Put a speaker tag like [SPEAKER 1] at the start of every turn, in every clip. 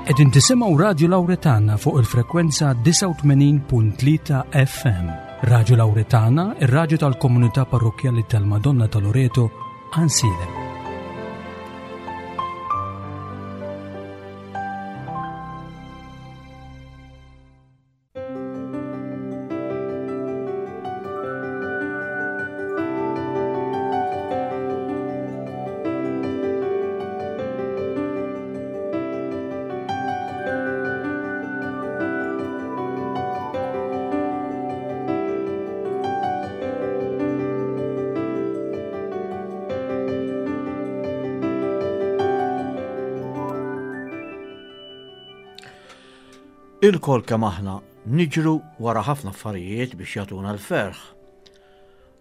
[SPEAKER 1] Qegħdin tisimgħu Radju Lawretana fuq il-frekwenza 89.3 FM. Radju Lawretana, ir-radju tal-komunità parrokkjali tal-Madonna ta' Loreto, Ansilem.
[SPEAKER 2] Ilkoll kemm aħna niġru wara ħafna affarijiet biex jagħtuna l-ferħ.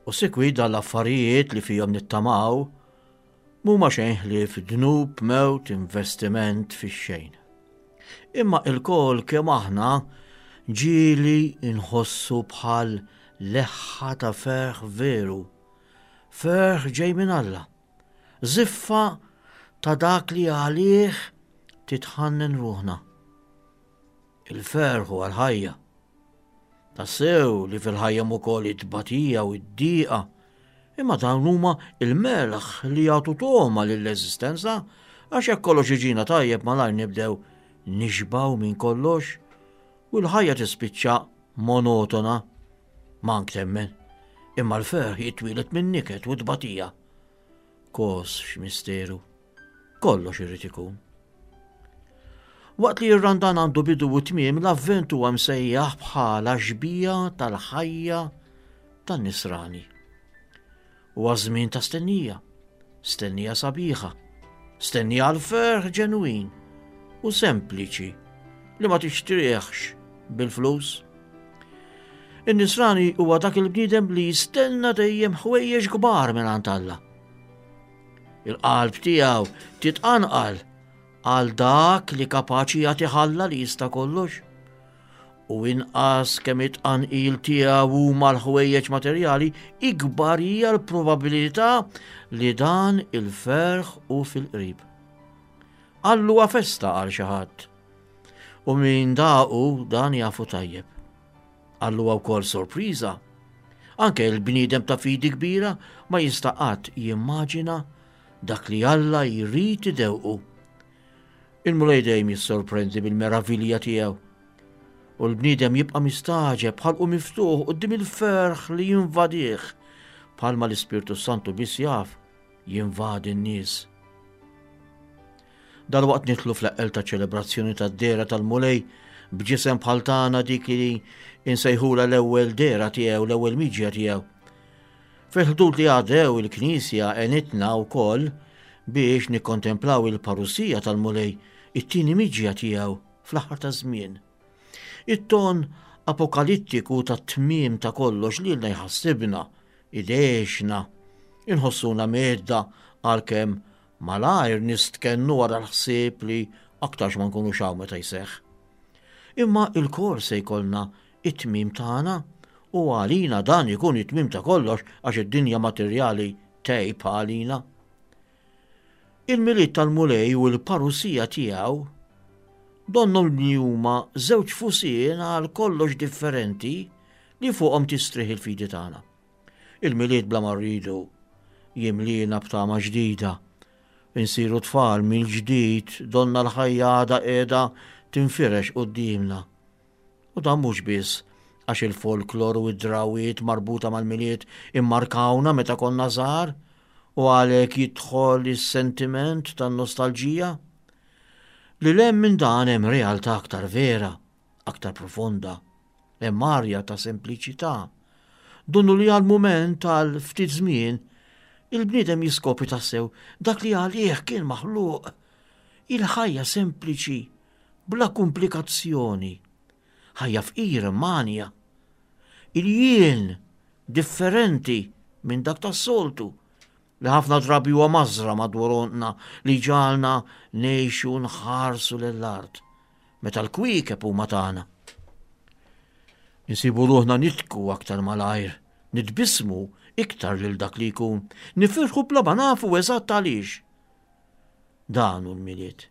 [SPEAKER 2] U sikwit dan l-affarijiet li fihom nittamaw mhuma xejn ħlief dnub, mewt, investiment fix-xejn. Imma ilkoll kemm aħna ġieli nħossu bħal leħħa ta' ferħ veru, ferħ ġej minn Alla. Żiffa ta' dak li għalih titħannen ruħna. Il-ferħ huwa l-ħajja. Tassew li fil-ħajja hemm ukoll it-tbatija u d-dieqa, imma dawn huma il-melħ li jagħtu togħma lill-eżistenza għax jekk kollox iġina tajjeb malajr nibdew nixbgħu minn kollox u l-ħajja tispiċċa monotona. Mank temmen, imma l-ferħ jitwieled min-niket u t-tbatija. Kos x'misteru. Kollox irid ikun. Waqt li r-Randan għandu bidu u tmiem, l-Avvent huwa msejjaħ bħala xbija tal-ħajja tan-nisrani. Huwa żmien ta' stennija, stennija sabiħa, stennija għal ferħ ġenwin u sempliċi li ma tixtrieħx bil-flus. In-nisrani huwa dak il-bniedem li jistenna dejjem ħwejjeġ kbar minn Alla. Il-qalb tiegħu titqanqal għal dak li kapaċi jagħti Alla li jista' kollox. U inqas kemm it-tqanqil tiegħu huma l-ħwejjeġ materjali, ikbar hija l-probabilità li dan il-ferħ hu fil-qrib. Allu festa għal xi ħadd. U min daqu dan jafu tajjeb. Allu wkoll sorpriża. Anke l-bniedem ta' fidi kbira ma jista' qatt jimmaġina dak li Alla jrid idewqu. Il-Mulej dejjem jissorprendi bil-meravilja tiegħu. U l-bniedem jibqa' mistagħġeb bħalqu miftuħ quddiem il-ferħ li jinvadih bħalma l-Ispirtu Santu biss jaf jinvadi n-nies. Dalwaqt nidħlu fl-eqqel ta' ċelebrazzjoni tad-dehra tal-Mulej b'ġisem bħal tagħna dik li insejħula l-ewwel dehra tiegħu, l-ewwel miġja tiegħu. Fil-ħdud li għaddew il-Knisja għenitna wkoll biex nikkontemplaw il-parusija tal-Mulej, it-tieni miġja tiegħu fl-aħħar taż-żmien. It-ton apokalittiku tat-tmiem ta' kollox lilna jħassibna, idehxna, inħossuna mhedda għalkemm Malajr nistkennu wara l-ħsieb li aktarx ma nkunux hawn meta jseħħ. Imma ilkoll se jkollna it-tmiem tagħna u għalina dan ikun it-tmiem ta' kollox għax id-dinja materjali tgħib għalina. Il-Milied tal-Mulej u l-parusija tiegħu donnhom li huma żewġ fusien għal kollox differenti li fuqhom tistrieħ il-fidi tagħna. Il-Milied bla ma rridu jimliena b'tama ġdida. Insiru tfal mill-ġdid donna l-ħajja għadha qiegħda tinfirex quddiemna. U dan mhux biss għax il-folklor u d-drawiet marbuta mal-Milied immarkawna meta konna żgħar u għalhekk jidħol is-sentiment tan-nostalġija. Lil hemm minn dan hemm realtà aktar vera, aktar profonda. Hemm arja ta' sempliċità. Donnu li għal mument, għal ftit żmien, il-bniedem jiskopri tassew dak li għalih kien maħluq. Il-ħajja sempliċi, bla kumplikazzjoni. Ħajja fqira manja. Il-jien differenti minn dak tas-soltu li ħafna drabi huwa mażra madwar għonqna li jġagħalna ngħixu nħarsu lill-art meta l-kwiekeb huma tagħna. Insibu ruħna nitku aktar malajr, nitbissmu iktar lil dak li jkun, nifirħu bla ma nafu eżatt għaliex. Dan hu l-Milied.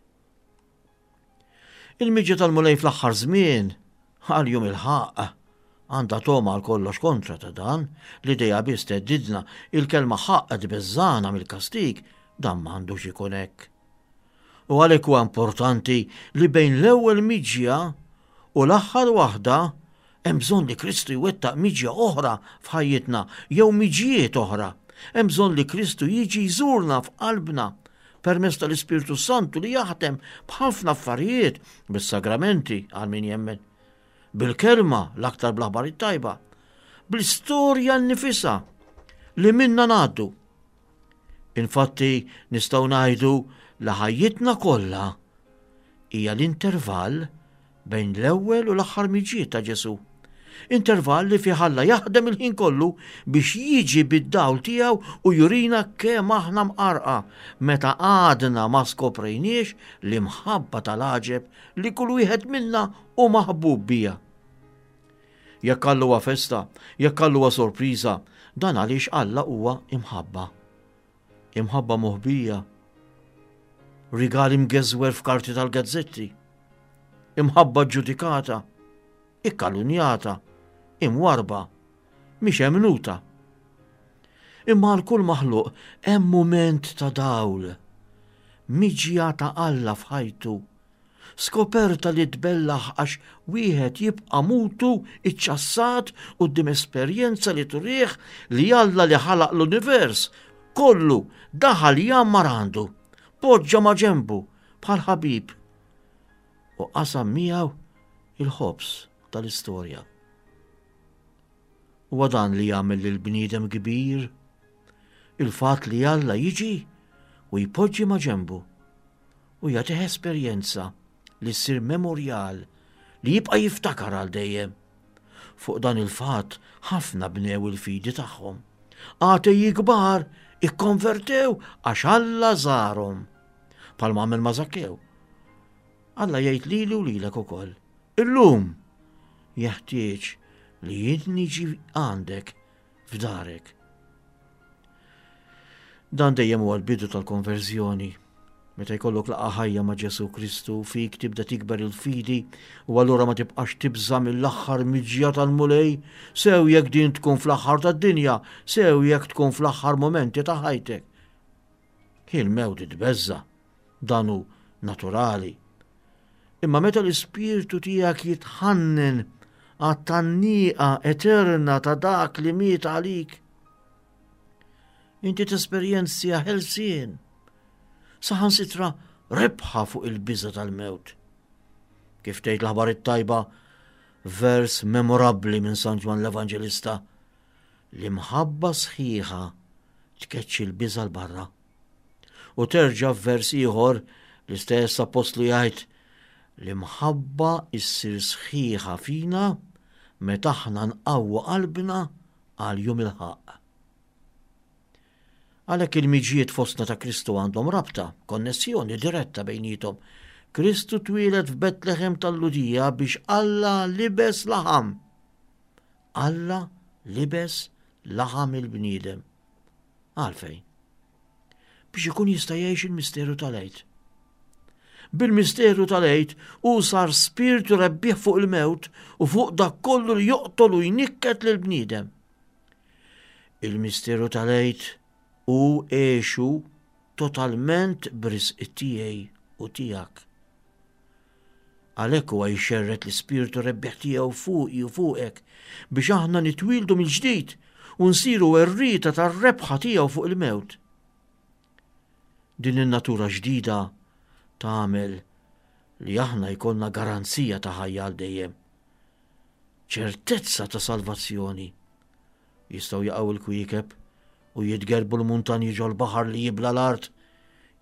[SPEAKER 2] Il-miġja tal-Mulej fl-aħħar żmien, għal jum il-ħaqq, għandha togħma għal kollox kontra ta' dan, l-idea biss theddidna, il-kelma ħaqq tbeżżagħna mill-kastig, dan m'għandux ikun hekk. U għalhekk huwa importanti li bejn l-ewwel miġja u l-aħħar waħda hemm bżonn li Kristu jwettaq miġja oħra f'ħajjitna jew miġjiet oħra. Hemm bżonn li Kristu jiġi jżurna f'qalbna permezz tal-Ispirtu Santu li jaħdem b'ħafna affarijiet, bis-sagramenti għal min jemmen, bil-kelma l-aktar bl-aħbar it-tajba, bl-istorja nnifisha li minna ngħaddu. Infatti nistgħu ngħidu li ħajjitna kollha hija l-intervall bejn l-ewwel u l-aħħar miġiet ta' Ġesù. Intervall li fih Alla jaħdem il-ħin kollu biex jiġi bid-dawl tiegħu u jurina kemm aħna mqarqa meta għadna ma skoprejniex l-imħabba tal-għaġeb li kull wieħed minna hu maħbub biha. Jekk Alla huwa festa, jekk Alla huwa sorpriża, dan għaliex Alla huwa imħabba. Imħabba moħbija, rigali mgeżwer f'karti tal-gazzetti, imħabba ġudikata, ikkalunjata, imwarba, mhix emnuta. Imma għal kull maħluq hemm mument ta' dawl, miġja ta' Alla f'ħajtu Skoperta li tbellaħ għax wieħed jibqa' mutu iċċassat quddiem esperjenza li turih li Alla li ħalaq l-univers kollu daħal jgħammar għandu, poġġa ma' ġenbu bħal ħabib u qasam miegħu il-ħobż tal-istorja. Huwa dan li jagħmel lill-bniedem kbir, il-fatt li Alla jiġi u jpoġġi ma' ġenbu u jagħtih esperjenza li ssir memorjal li jibqa' jiftakar għal dejjem. Fuq dan il-fatt ħafna bnew il-fidi tagħhom. Ateji kbar ikkonvertew għax Alla żarhom. Bħalma għamel ma' Zakkew. Alla jgħid lili u lilek ukoll. Illum jeħtieġ li jien niġi għandek f'darek. Dan dejjem huwa l-bidu tal-konverżjoni. Meta jkollok laqgħa ħajja ma' Ġesù Kristu, fik tibda tikber il-fidi u allura ma tibqax tibża' mill-aħħar miġja tal-Mulej, sew jekk din tkun fl-aħħar tad-dinja, sew jekk tkun fl-aħħar mumenti ta' ħajtek. Hi l-mewt tbeżża', dan hu naturali. Imma meta l-ispirtu tiegħek jitħannen għat-tgħanniqa eterna ta' dak li miet għalik, inti tesperjenzja ħelsien, saħansitra rebħa fuq il-biża tal-mewt. Kif tgħid l-aħbar it-tajba, vers memorabbli minn San Ġwann l-Evanġelista, l-imħabba sħiħa tkeċċi l-biża l-barra. U terġa' f'vers ieħor l-istess appostlu jgħid l-imħabba issir sħiħa fina meta aħna nqawwu qalbna għal jum il-ħaqq. Għalhekk il-miġjiet fostna ta' Kristu għandhom rabta, konnessjoni diretta bejniethom. Kristu twieled f'Betlehem tal-Lhudija biex Alla libes laħam. Alla libes laħam il-bniedem. Għalfejn? Biex ikun jista' jgħix il-misteru tal-Għid. Bil-misteru tal-Għid hu sar spirtu rebbieħ fuq il-mewt u fuq dak kollu li joqtol u jnikket lill-bniedem. Il-misteru tal-Għid hu għexu totalment b'risq tiegħi u tiegħek. Għalhekk huwa jxerred l-ispirtu rebbieħ tiegħu fuqi u fuqek biex aħna nitwieldu mill-ġdid u nsiru werrieta tar-rebħa tiegħu fuq il-mewt. Din in-natura ġdida tagħmel li aħna jkollna garanzija ta' ħajja għal dejjem. Ċertezza ta' salvazzjoni. Jistgħu jaqgħu l-kwiekeb u jitgerbu l-muntanji ġol-baħar li jibla l-art,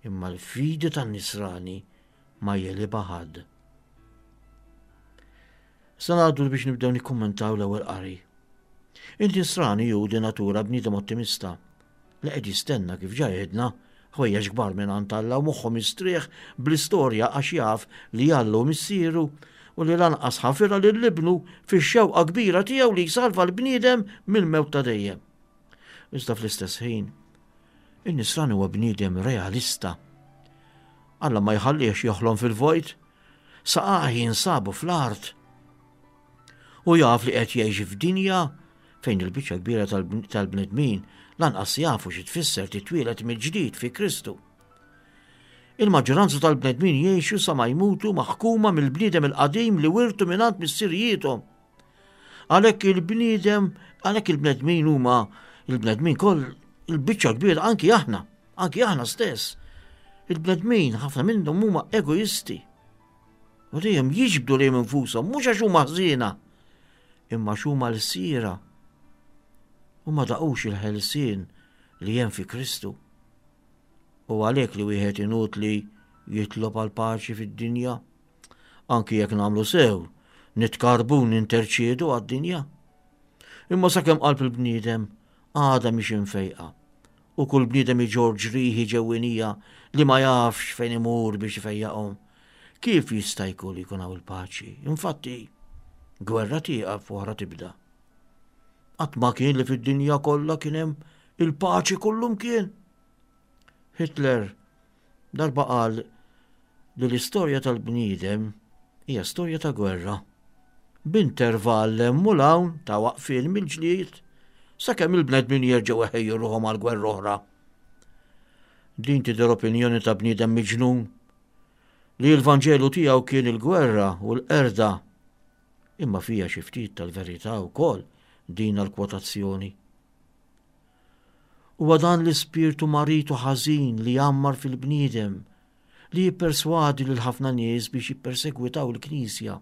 [SPEAKER 2] imma l-fidi tan-nisrani ma jegħlibha ħadd. Sa ngħaddu biex nibdew nikkummentaw l-ewwel qari. In-nisrani hu di natura bniedem ottimista li qed jistenna kif ġa għedna ħwejjeġ kbar minn għand Alla u moħħu mistrieħ bl-istorja għax jaf li Alla hu missieru u li lanqas ħafirha lil ibnu fix-xewqa kbira tiegħu li jsalva l-bniedem mill-mewt ta' dejjem. Iżda fl-istess ħin, in-nisrani huwa bniedem realista. Alla ma jħallihx joħlom fil-vojt. Saqajh jinsabu fl-art. U jaf li qed jgħix f'dinja fejn il-biċċa kbira tal-bnedmin lanqas jafu xi tfisser titwieled mill-ġdid fi Kristu. Il-maġġoranza tal-bnedmin jgħixu sa ma jmutu maħkuma mill-bniedem il-qadim li wirtu mingħand missirijiethom. Għalhekk il-bniedem, għalhekk il-bnedmin huma il-bnedmin koll il-biċċa kbira anki aħna, anki aħna stess. Il-bnedmin ħafna minnhom huma egoisti. U dejjem jiġbdu lejn infushom mhux għax huma ħżiena, imma għax huma l-sira. U ma daqux il-ħelsien li hemm fi Kristu. U għalhekk li wieħed inutli jitlob għal paċi fid-dinja. Anki jekk nagħmlu sew, nitkarbu ninterċiedu għad-dinja. Imma sakemm qalb il-bniedem għadha mhix imfejqa u kull bniedem iġorr ġrieħi ġewwinija li ma jafx fejn imur biex ifejjaqhom. Kif jista' jkun li jkun hawn il-paċi? Infatti, gwerra tieqaf u oħra tibda. Qatt ma kien li fid-dinja kollha kien hemm il-paċi kullumkien. Hitler darba qal li l-istorja tal-bniedem hija storja ta' gwerra. B'intervall hemm u hawn ta' waqfien mill-ġlied sakemm il-bnedmin jerġgħu iħejju ruħhom għal gwerra oħra. Din tidher opinjoni ta' bniedem miġnun li l-Vanġelu tiegħu kien il-gwerra u l-qerda. Imma fija xi ftit tal-verità wkoll din l-kwotazzjoni. Huwa dan l-ispirtu marid u ħażin li jgħammar fil-bniedem li jipperswadi lil ħafna nies biex jippersegwitaw il-Knisja.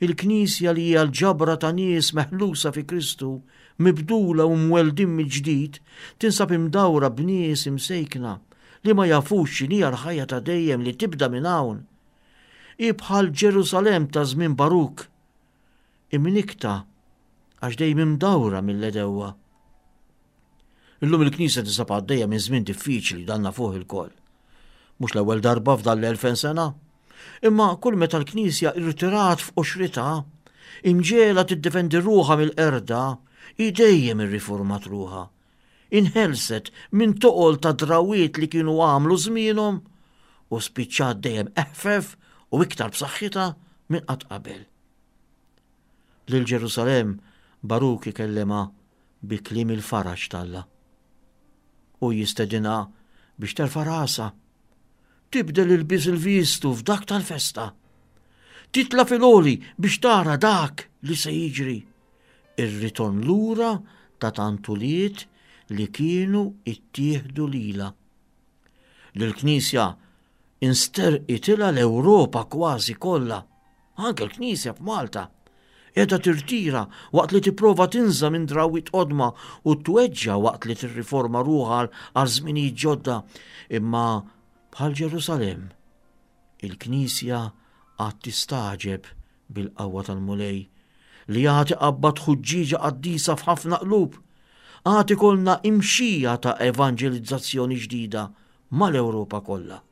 [SPEAKER 2] Il-Knisja li hija l-ġabra ta' nies meħlusa fi Kristu, mibdula u mweldin mill-ġdid, tinsab imdawra b'nies imsejkna li ma jafux x'inhija l-ħajja ta' dejjem li tibda minn hawn. Hi bħal Ġerusalemm ta' żmien Baruk, imnikkta għax dejjem imdawra mill-għedewwa. Illum il-Knisja tinsab għaddejja minn żmien diffiċli dan nafuh ilkoll. Mhux l-ewwel darba f'dan l-2000 sena. Imma kull meta l-Knisja irtirat f'qoxritha, imġiegħla tiddefendi ruħha mill-qerda, hi dejjem irriformat ruħha. Inħelset minn toqol ta' drawwiet li kienu għamlu żmienhom u spiċċat dejjem eħfef u iktar b'saħħitha minn qatt qabel. Lil Ġerusalemm Baruk ikellimha bi kliem il-faraġ t'Alla. Hu jistedinha biex terfa' rasha, tibdel ilbies il-vistu f'dak tal-festa, titla' fil-għoli biex tara dak li se jiġri, ir-ritorn lura ta' tant ulied li kienu ittieħdu lilha. Lill-Knisja insterqitilha l-Ewropa kważi kollha. Anke l-Knisja f'Malta qiegħda tirtira waqt li tipprova tinża' minn drawwiet qodma u tweġġa' waqt li tirriforma ruħha għal żminijiet ġodda. Imma bħal Ġerusalemm, il-Knisja għad tistagħġeb bil-qawwa tal-Mulej li għad iqabbad ħuġġieġa qaddisa f'ħafna qlub. Għad ikollna imxija ta' evanġelizzazzjoni ġdida mal-Ewropa kollha.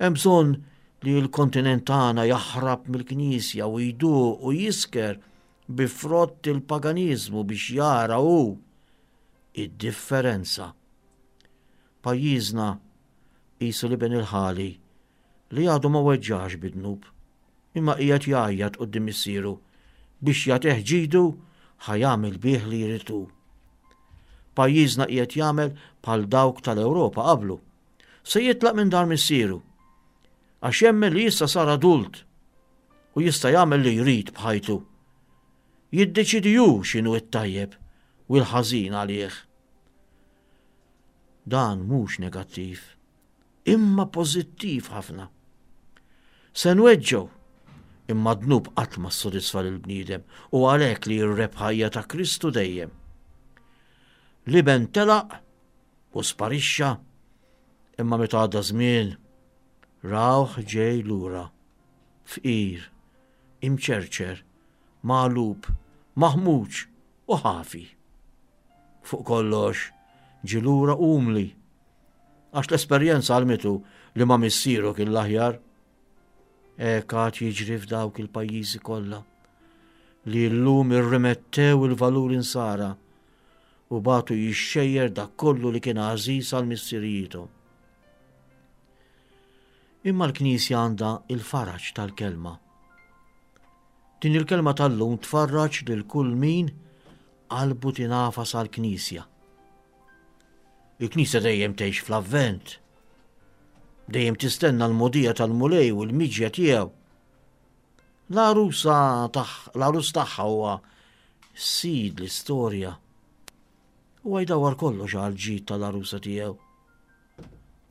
[SPEAKER 2] Hemm bżonn li l-kontinent tagħna jaħrab mill-Knisja u jduq u jisker bi frott il-paganiżmu biex jara hu id-differenza. Pajjiżna qisu l-iben il-ħali li għadu ma weġġax bid-dnub, imma qiegħed jgħajjat quddiem missieru biex jagħtih ġidu ħa jagħmel bih li jrid hu. Pajjiżna qiegħed jagħmel bħal dawk tal-Ewropa qablu. Se jitlaq minn dar missieru għax jemmen li issa sar adult u jista' jagħmel li jrid b'ħajtu. Jiddeċidi hu x'inhu t-tajjeb u l-ħażin għalih. Dan mhux negattiv, imma pożittiv ħafna. Se nweġġgħu, imma d-dnub qatt ma ssodisfa lill-bniedem u għalhekk li r-rebħa hija ta' Kristu dejjem. L-iben telaq u sparixxa, imma meta għadda żmien rawh ġej lura, fqir, imċerċer, magħlub, maħmuġ u ħafi. Fuq kollox, ġie lura umli, għax l-esperjenza għallmitu li ma' missieru kien l-aħjar. Hekk għad jiġri f'dawk il-pajjiżi kollha li llum irrimettew il-valuri nsara u bagħtu jixxejjer dak kollu li kien għażiż għal missirijiethom. Imma l-Knisja għandha il-faraġ tal-kelma. Din il-kelma tal-lum tfarraġ lil kull min qalbu tingħafas għall-Knisja. Il-Knisja dejjem tgħix fl-Avvent. Dejjem tistenna l-mogħdija tal-Mulej u l-miġja tiegħu. L-għarusa l-għarus tagħha huwa sid l-istorja. Huwa jdawwar kollox għal ġid tal-għarusa tiegħu.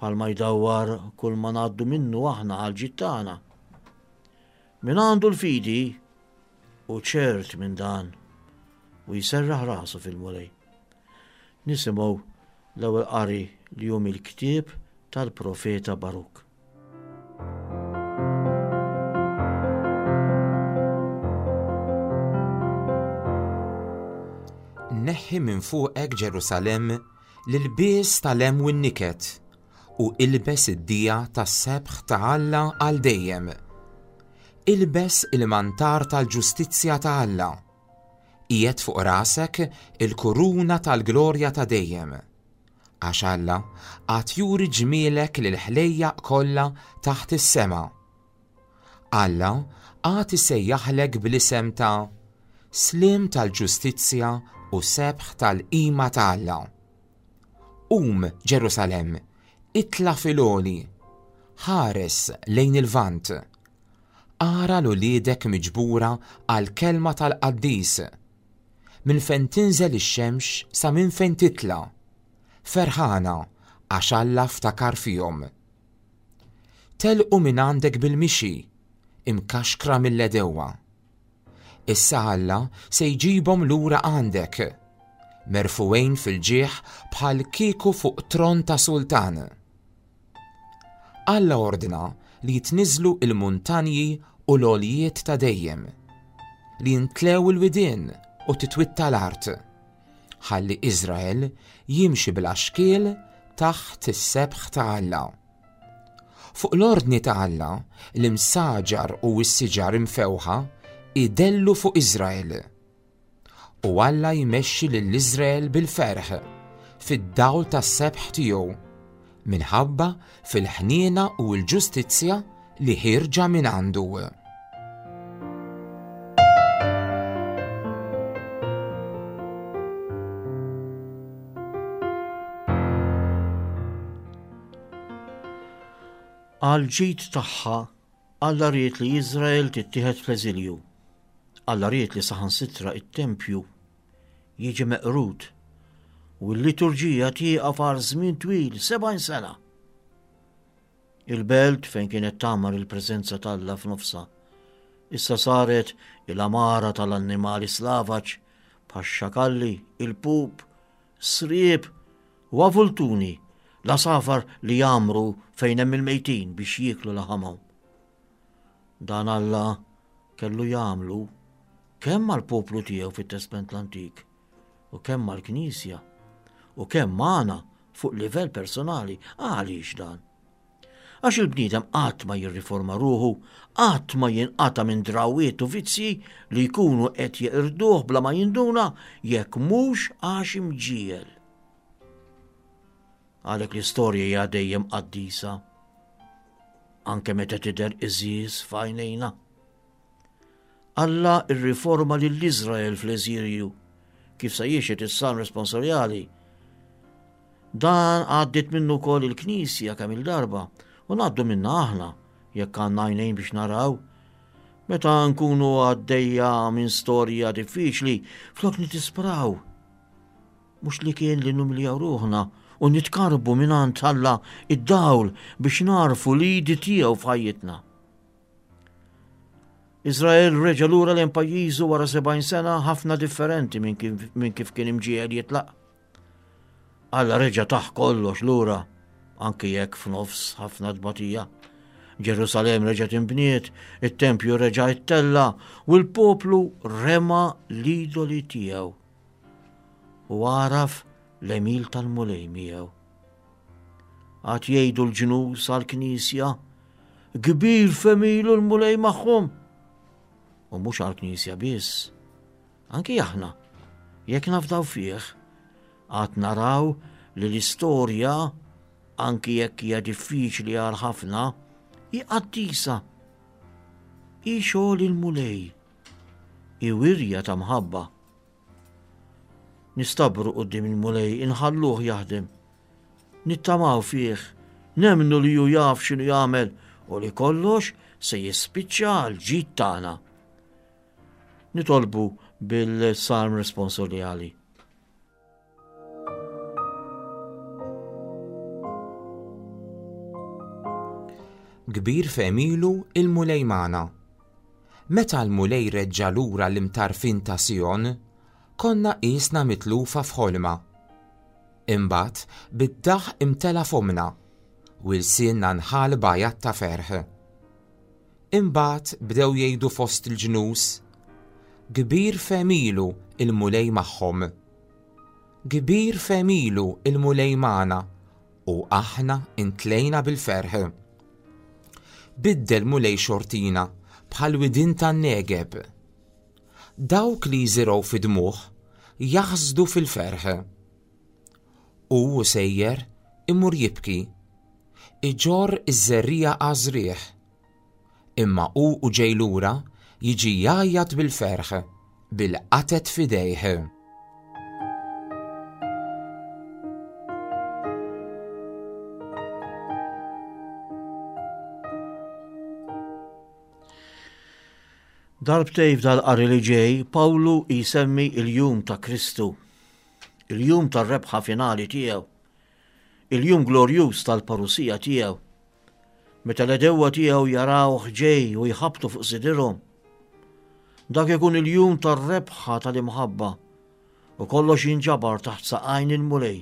[SPEAKER 2] Palma jdawwar kull ma ngħaddu minnu aħna għal ġid tagħna. Min għandu l-fidi u ċert minn dan u jserraħ rasu fil-Mulej. Nisimgħu l-ewwel qari li hu mill-ktieb tal-profeta Baruk.
[SPEAKER 3] Neħħi minn fuqek Ġerusalemm l-ilbies tal-hemm u n-niket u ilbes id-dija tas-sebħ ta' Alla għal dejjem. Ilbes il-mantar tal-ġustizzja ta' Alla. Qiegħed fuq rasek il-kuruna tal-glorja ta' dejjem. Għax Alla għad juri ġmielek lill-ħlejjaq kollha taħt is-sema. Alla għad isejjaħlek bl-isem ta' Sliem tal-ġustizzja u sebħ tal-qima ta' Alla. Qum, Ġerusalemm, itla' fil-għoli, ħares lejn il-Lvant. Ara 'l uliedek miġbura għall-kelma tal-Qaddis, minn fejn tinżel ix-xemx sa minn fejn titla', ferħana għax Alla ftakar fihom. Telqu minn għandek bil-mixi, imkaxkra mill-għedewwa. Issa Alla se jġibhom lura għandek, merfugħin fil-ġieħ bħal kieku fuq tron ta' sultan. Alla ordna li jitniżżlu l-muntanji u l-għoljiet ta' dejjem, li jintlew il-widien u titwitta l-art, ħalli Iżrael jimxi bla xkiel taħt is-sebħ ta' Alla. Fuq l-ordni ta' Alla, l-imsaġar u s-siġar imfewħa idellu fuq Iżrael. U Alla jmexxi lil Iżrael bil-ferħ fid-dawl tas-sebħ tiegħu, minħabba fil-ħniena u l-ġustizzja li ħierġa minn għandu.
[SPEAKER 2] Għall-ġid tagħha, Alla ried li Iżrael tittieħed fl-eżilju. Alla ried li saħansitra it-tempju jiġi meqrud u l-liturġija tieqaf għal żmien twil, 70 sena. Il-belt fejn kienet tagħmar il-preżenza t'Alla f'nofsha, issa saret il-għamara tal-annimali slavaġ bħax-xakalli, il-pup, sriep u avultuni, l-għasafar li jgħammru fejn hemm il-mejtin biex jieklu laħamhom. Dan Alla kellu jagħmlu kemm għall-poplu tiegħu fit-Testment l-Antik u kemm mal-Knisja u kemm magħna fuq livell personali. Għaliex dan? Għax il-bniedem qatt ma jirriforma ruħu, qatt ma jinqata' minn drawwiet u vizzji li jkunu qed jeqirduh bla ma jinduna jekk mhux għax imġiegħel. Għalhekk l-istorja hija dejjem qaddisa, anke meta tidher iżiż f'għajnejna. Alla rriforma lil Iżrael fl-eżilju, kif sa jixhed is-Salm responsorjali. Dan għaddiet minnu wkoll il-Knisja kemm il-darba u ngħaddu minna aħna jekk għandna għajnejn biex naraw. Meta nkunu għaddejja minn storja diffiċli, flok nitispraw. Mhux li kien li numiljaw ruħna u nitkarbu mingħand Alla id-dawl biex narfu l-idi tiegħu f'ħajjitna. Iżrael reġa' lura lejn pajjiżu wara 70 sena ħafna differenti minn kif kien imġiegħel jitlaq. Alla reġa' taħ kollox lura, anki jekk f'nofs ħafna tbatija. Ġerusalemm reġgħet inbniet, it-tempju reġa' ittella u l-poplu rema l-idoli tiegħu. U għaraf l-emil tal-Mulej miegħu. Għad jgħidu l-ġnus għall-Knisja, kbir f'għemilu l-Mulej magħhom. U mhux għall-Knisja biss, anki aħna, jekk nafdaw fih, għad naraw li l-istorja, anki jekk hija diffiċli għal ħafna, Hi qaddisa. Hi xogħol il-Mulej. Hi wirja ta' mħabba. Nistabru quddiem il-Mulej, inħalluh jaħdem. Nittamaw fih, nemmnu li hu jaf x'inhu jagħmel u li kollox se jispiċċa għal ġid tagħna. Nitolbu bil-Salm responsorjali.
[SPEAKER 3] Kbir f'għemilu il-Mulej magħna. Meta l-Mulej reġġa' lura l-imtarfin ta' Sijon, konna qisna mitlufa f'ħolma. Imbagħad bid-daħq imtela fommna, u lsienna nħall b'għajat ta' ferħ. Imbagħad bdew jgħidu fost il-ġnus, Kbir f'għemilu l-Mulej magħhom. Kbir f'għemilu l-Mulej magħna, u aħna intlejna bil-ferħ. Biddel Mulej xortina bħal widien tan-Negeb. Dawk li jiżirgħu fid-dmugħ jaħsdu fil-ferħ. Hu u sejjer imur jibki, iġorr iż-żerriegħa għaż-żrigħ. Imma hu u ġej lura jiġi jgħajjat bil-ferħ, bil-qatet f'idejh.
[SPEAKER 2] Darbtej f'dal-qari li ġej, Pawlu jsemmi il-jum ta' Kristu, il-jum tar-rebħa finali tiegħu, il-jum glorjuż tal-parusija tiegħu. Meta l-għedewwa tiegħu jarawh ġej u jħabbtu fuq sidirhom. Dak ikun il-jum tar-rebħa tal-imħabba u kollox jinġabar taħt saqajn il-Mulej.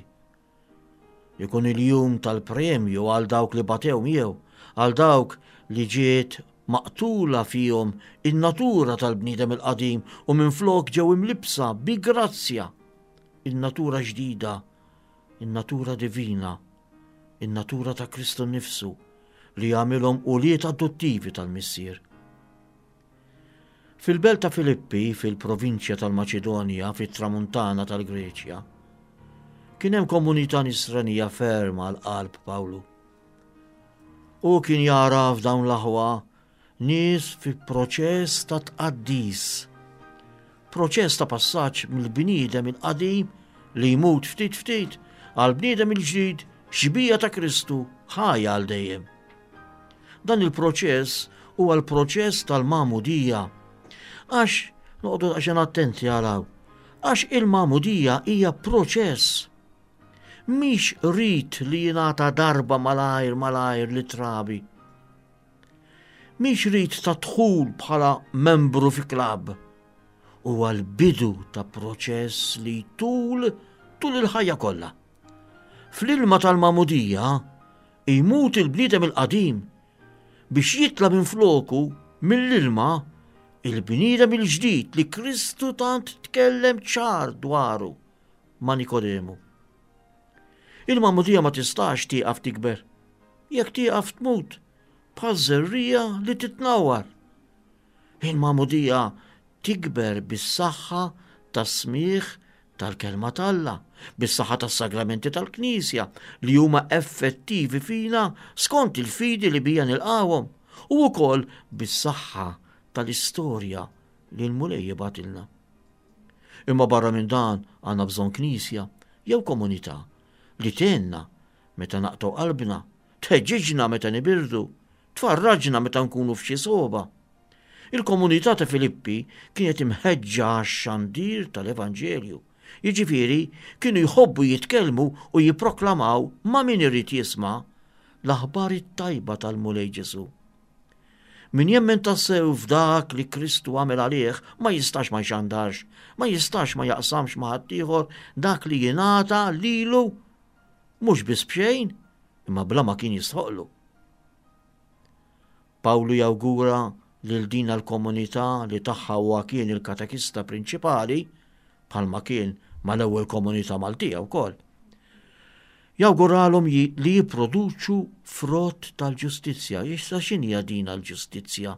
[SPEAKER 2] Ikun il-jum tal-premju għal dawk li batew miegħu, għal dawk li ġiet maqtula fihom in-natura tal-bniedem il-qadim u minflok ġew imlibsa bi grazzja in-natura ġdida, in-natura divina in-natura ta' Kristu nnifsu li jagħmilhom ulied adottivi tal-Missier. Fil-belt ta' Filippi, fil-provinċja tal-Maċedonja, fit-tramuntana tal-Greċja, kien hemm komunità nisranija ferm għal qalb Pawlu. Hu kien jara f'dawn l-aħwa Nies fi proċess ta' tqaddis. Proċess ta' passaġġ mill-bniedem il-qadim li jmut ftit ftit għal bniedem il-ġdid xbija ta' Kristu ħaj għal dejjem. Dan il-proċess huwa l-proċess tal-magħmudija. Għax noqogħdu daqsxejn attenti għal hawn. Għax il-magħmudija hija proċess. Mhix rit li jingħata darba malajr malajr li trabi. Mhix rit ta' dħul bħala membru fi klabb. Huwa l-bidu ta' proċess li jtul tul il-ħajja kollha. Fl-ilma tal-magħmudija jmut il-bniedem il-qadim biex jitla' minn floku mill-ilma il-bniedem il-ġdid li Kristu tant tkellem ċar dwaru ma' Nikodemu. Il-magħmudija ma tistax tieqaf tikber. Jekk tieqaf tmut, bħal żerriegħa li titnawwar. Il-magħmudija tikber bis-saħħa tas-smigħ tal-Kelma t'Alla, bis-saħħa tas-sagramenti tal-Knisja li huma effettivi fina skont il-fidi li bija nilqgħuhom, u wkoll bis-saħħa tal-istorja li l-Mulej jibgħatilna. Imma barra minn dan għandna bżonn Knisja jew komunità li tgħinna meta naqtgħu qalbna, tħeġġiġna meta nibirdu, tfarraġna meta nkunu f'xi sogħba. Il-komunità ta' Filippi kienet imħeġġa għax-xandir tal-Evanġelju. Jiġifieri, kienu jħobbu jitkellmu u jipproklamaw ma' min irid jisma' l-aħbar it-tajba tal-Mulej Ġesù. Min jemmen tassew f'dak li Kristu għamel għalih ma jistax ma jxandarx, ma jistax ma jaqsamx ma' ħaddieħor dak li jingħata lilu mhux biss b'xejn, imma bla ma kien jistħoqlu. Pawlu jawgura lil din l-komunità li tagħha huwa kien il-katekista prinċipali, bħalma kien mal-ewwel komunità Maltija wkoll. Jawguralhom li jipproduċu frott tal-ġustizzja. Issa x'inhija din l-ġustizzja?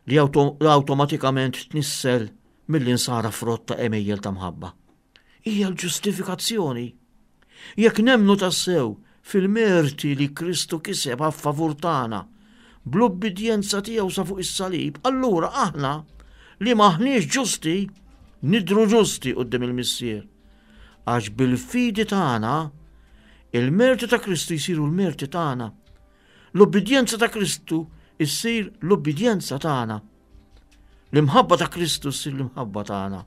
[SPEAKER 2] Li awtomatikament tnissel mill-insara frott ta' għemejjel ta' mħabba. Hija l-ġustifikazzjoni. Jekk nemmnu tassew fil-merti li Kristu kiseb a favur tagħna bl-ubbidjenza tiegħu sa fuq is-salib, allura aħna li m'aħniex ġusti nidhru ġusti quddiem il-Missier. Għax bil-fidi tagħna il-merti ta' Kristu jsiru l-merti tagħna. L-ubbidjenza ta' Kristu issir l-ubbidjenza tagħna. L-imħabba ta' Kristu ssir l-imħabba tagħna.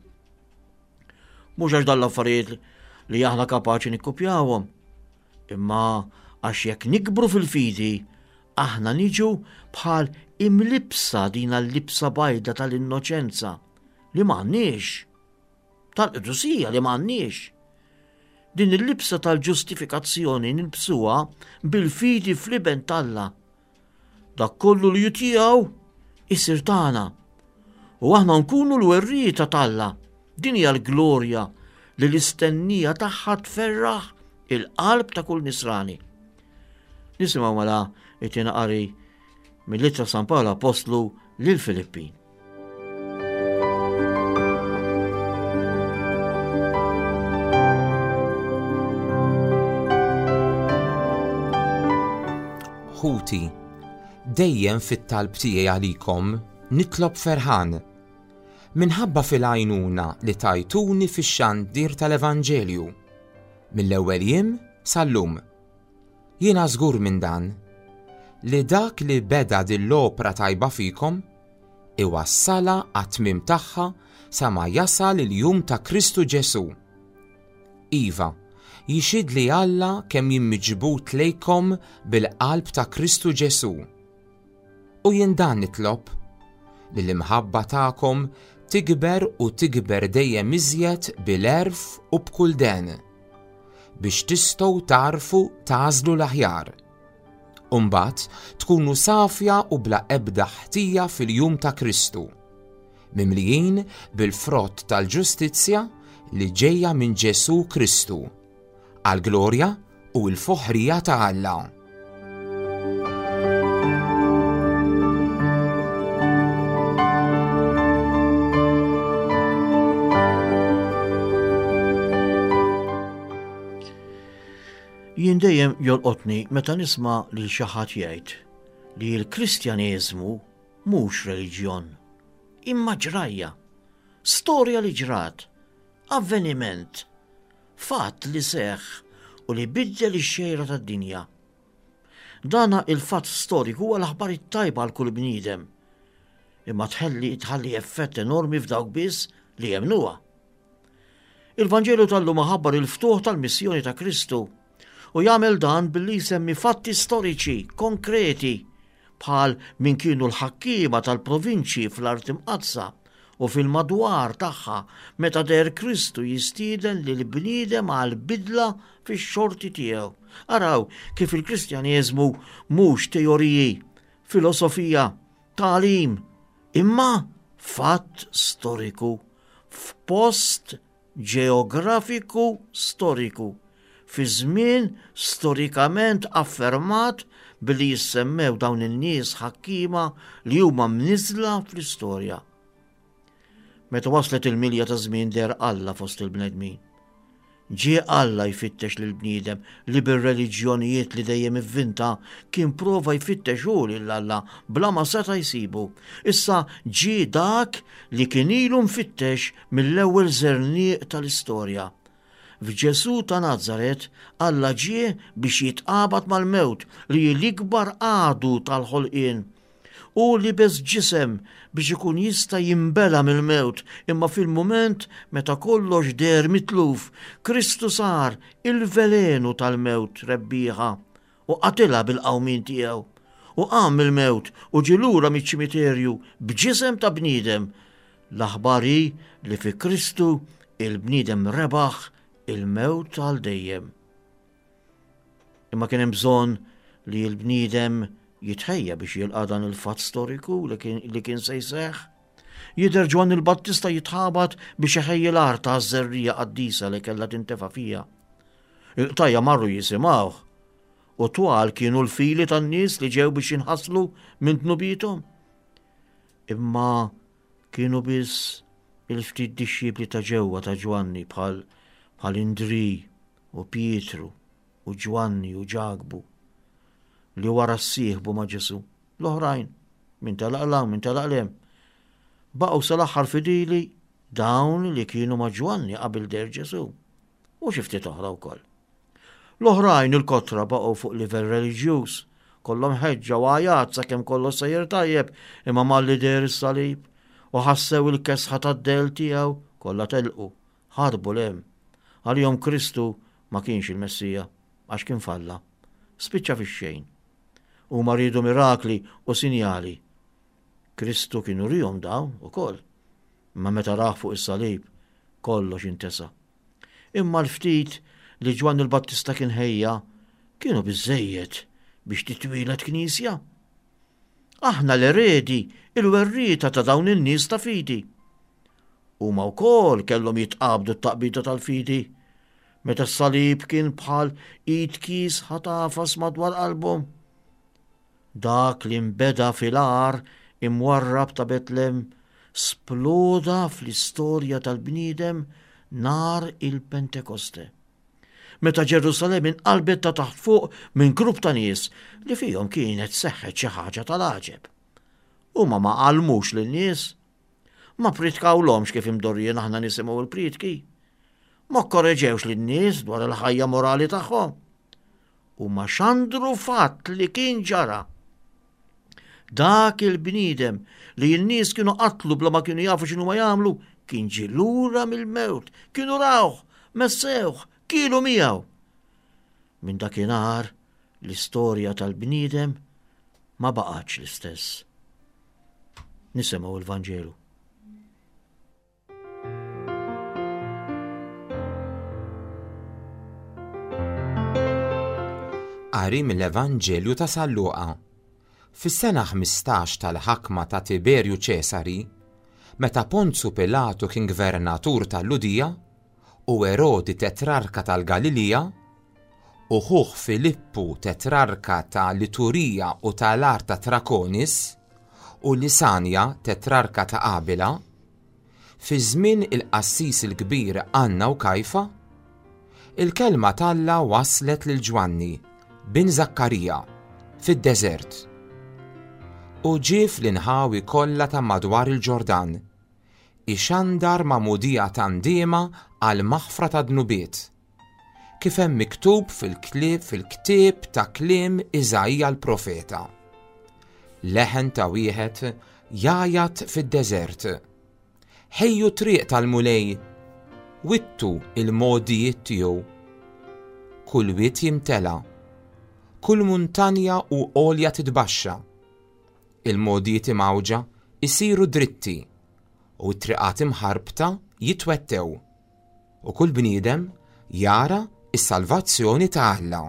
[SPEAKER 2] Mhux għax dan l-affarijiet li aħna kapaċi nikkupjawhom, imma għax jekk nikbru fil-fidi, aħna niġu bħal imlibsa din l-libsa bajda tal-innoċenza li m'għandniex, tal-qdusija li m'għandniex. Din il-libsa tal-ġustifikazzjoni nilbsuha bil-fidi fl-iben t'Alla Dak kollu li hu tiegħu isir tagħna. U aħna nkunu l-werrieta t'Alla. Din hija l-glorja li l-istennija tagħha tferraħ il-qalb ta' kull nisrani. Nisimgħu mela it-tieni qari mill-ittra San Pawl Apostlu lil Filippin.
[SPEAKER 3] Ħuti, dejjem fit-talb tiegħi għalikom nitlob ferħan, minħabba fil-għajnuna li tajtuni fix-xandir tal-Evanġelju, mill-ewwel jiem sal-lum. Jiena żgur minn dan, li dak li beda din l-opra tajba fikom, iwassalha għat-tmiem tagħha sa ma jasal il-jum ta' Kristu Ġesù. Iva, jixhidli Alla kemm jien miġbud lejkom bil-qalb ta' Kristu Ġesù. U jien dan nitlob, li l-imħabba tagħkom tikber u tikber dejjem iżjed bil-għerf u b'kull den, biex tistgħu tagħrfu tagħżlu l-aħjar. U mbagħad tkunu safja u bla ebda ħtija fil-jum ta' Kristu, mimlijin bil-frott tal-ġustizzja li ġejja minn Ġesù Kristu, għall-glorja u l-foħrija ta' Alla.
[SPEAKER 2] Jien dejjem jolqotni meta nisma' lil xi ħadd jgħid li l-Kristjaneżmu mhux reliġjon, imma ġrajja, storja li ġrat, avveniment, Fatt li seħħ u li biddel ix-xejra tad-dinja. Dana il-fatt storiku huwa l-aħbar it-tajba għal kull bniedem. Imma tħalli tħalli effett enormi f'dawk biss li jemmnuha. Il-Vanġelu tal-lum iħabbar il-ftuħ tal-missjoni ta' Kristu u jagħmel dan billi jsemmi fatti storiċi konkreti bħal min kienu l-ħakkiema tal-provinċji fl-Art Imqaddsa u fil-madwar tagħha meta deher Kristu jistieden lill-bniedem għal bidla fix-xorti tiegħu. Araw kif il-Kristjaneżmu mhux teoriji, filosofija, tagħlim, imma fatt storiku f'post ġeografiku storiku fi żmien storikament affermat billi jissemmew dawn in-nies ħakkiema li huma mniżżla fl-istorja. Meta waslet il-milja ta' żmien deher Alla fost il-bnedmin. Ġie Alla jfittex lill-bniedem li bir-reliġjonijiet li dejjem ivvinta kien prova jfittex hu lil Alla bla ma seta' jsibu. Issa ġie dak li kien ilu mfittex mill-ewwel żerniq tal-istorja. F'Ġesù ta' Nazaret, Alla ġie biex jitqabad mal-mewt li hi l-ikbar għadu tal-ħolqien. Hu libes ġisem biex ikun jista' jinbela' mill-mewt, imma fil-mument meta kollox deher mitluf, Kristu sar il-velenu tal-mewt rebbieħa u qatilha bil-qawmien tiegħu. U qam mill-mewt u ġie lura miċ-ċimiterju b'ġisem ta' bniedem. L-aħbar hi li fi Kristu il-bniedem rebaħ il-mewt għal dejjem. Imma kien hemm bżonn li l-bniedem jitħejja biex jilqa' dan il-fatt storiku li kien se jseħħ. Jidher Ġwanni l-Battista jitħabat biex iħejji l-art għaż-żerriegħa qaddisa li kellha tintefa' fiha. Il-qtajja marru jisimgħuh u twal kienu l-fili tan-nies li ġew biex jinħaslu minn dnubiethom. Imma kienu biss il-ftit dixxipli ta' ġewwa ta' Ġwanni bħal bħal Indri u Pietru. u Ġwanni u Ġakbu li wara ssieħbu ma' Ġesù. L-oħrajn, min telaq 'l hawn, min telaq 'l hemm. Baqgħu sal-aħħar fidili dawn li kienu ma' Ġwanni qabel deher Ġesù, u xi ftit oħra wkoll. L-oħrajn, il-kotra, baqgħu fuq livell reliġjuż, kollhom ħeġġa u għajat sakemm kollox sejjer tajjeb, imma malli deher is-salib u ħassew il-kesħa tad-dell tiegħu, kollha telqu, ħarbu 'l hemm. Għalihom Kristu ma kienx il-Messija, għax kien falla. Spiċċa fix-xejn. Huma riedu mirakli u sinjali. Kristu kien urihom dawn ukoll. Imma meta rah fuq is-salib, kollox intesa. Imma l-ftit li Ġwanni l-Battista kien ħejja kienu biżżejjed biex titwieled knisja. Aħna l-eredi, il-werrieta ta' dawn in-nies ta' fidi. Huma wkoll kellhom jitqabdu t-taqbida tal-fidi meta s-salib kien bħal id kiesħa tagħfas madwar qalbhom. Dak li nbeda fil-għar imwarrab ta' Betlem sploda fl-istorja tal-bniedem nhar il-Pentekoste. Meta Ġerusalemm inqalbet ta' taħt fuq minn grupp ta' nies li fihom kienet seħħet xi ħaġa tal-għaġeb. Huma ma għallmux lin-nies. Ma ppritkawlhomx kif imdorrijin aħna nisimgħu l-prietki. Ma kkoreġewx lin-nies dwar il-ħajja morali tagħhom. Huma xandru fatt li kien ġara. Dak il-bniedem li n-nies kienu qatlu bla ma kienu jafu x'inhu ma jagħmlu, kien ġie lura mill-mewt, kienu rawh, messewh, kielu miegħu. Minn dakinhar l-istorja tal-bniedem ma baqgħetx l-istess. Nisimgħu l-Vanġelu.
[SPEAKER 3] Qari mill-Evanġelju ta' San Luqa. Fis-sena 15 tal-ħakma ta' Tiberju Ċesari, meta Ponzu Pilatu kien gvernatur tal-Lhudija u Erodi tetrarka tal-Galilija, u ħuh Filippu tetrarka ta' l-Iturija u ta' l-art ta' Trakonis, u Lisanja tetrarka ta' Abila, fi żmien il-qassis il-kbir Anna u Kajfa, il-kelma t'Alla waslet lil Ġwanni, bin Żakkarija, fid-deżert. U ġie fl-inħawi kollha ta' madwar il-Ġordan, ixandar magħmudija ta' ndiema għall-maħfra tad-dnubiet. Kif hemm miktub fil-ktieb ta' kliem Iżaija l-profeta. Leħen ta' wieħed jgħajjat fid-deżert. Ħejju triq tal-Mulej, wittu il-mogħdijiet tiegħu. Kull wied jimtela, kull muntanja u għolja titbaxxa. Il-mogħdijiet imgħawġa jsiru dritti u t-triqat imħarbta jitwettew. U kull bniedem jara s-salvazzjoni ta' Alla.